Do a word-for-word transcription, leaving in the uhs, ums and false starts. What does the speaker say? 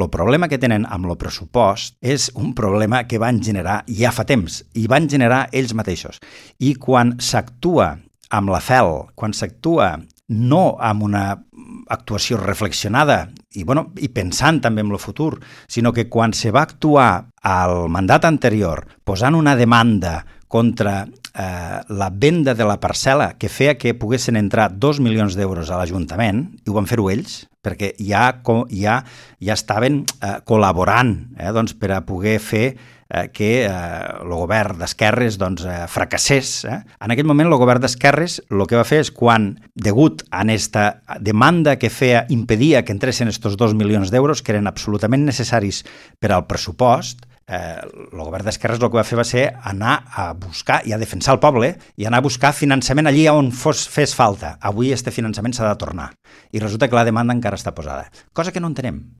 el problema que tenen amb el pressupost és un problema que van generar ja fa temps, i van generar ells mateixos. I quan s'actua amb la fel, quan s'actua no amb una actuació reflexionada i, bueno, i pensant també en el futur, sinó que quan se va actuar al mandat anterior posant una demanda contra eh, la venda de la parcel·la que feia que poguessin entrar dos milions d'euros a l'Ajuntament, i ho van fer-ho ells, perquè ja, ja, ja estaven eh, col·laborant eh, doncs, per a poder fer eh, que eh, el govern d'esquerres doncs, eh, fracassés. Eh? En aquell moment el govern d'esquerres el que va fer és quan, degut a aquesta demanda que feia, impedia que entressin aquests dos milions d'euros, que eren absolutament necessaris per al pressupost, Eh, el govern d'esquerres el que va fer va ser anar a buscar i a defensar el poble i anar a buscar finançament allí on fos, fes falta. Avui este finançament s'ha de tornar. I resulta que la demanda encara està posada. Cosa que no entenem.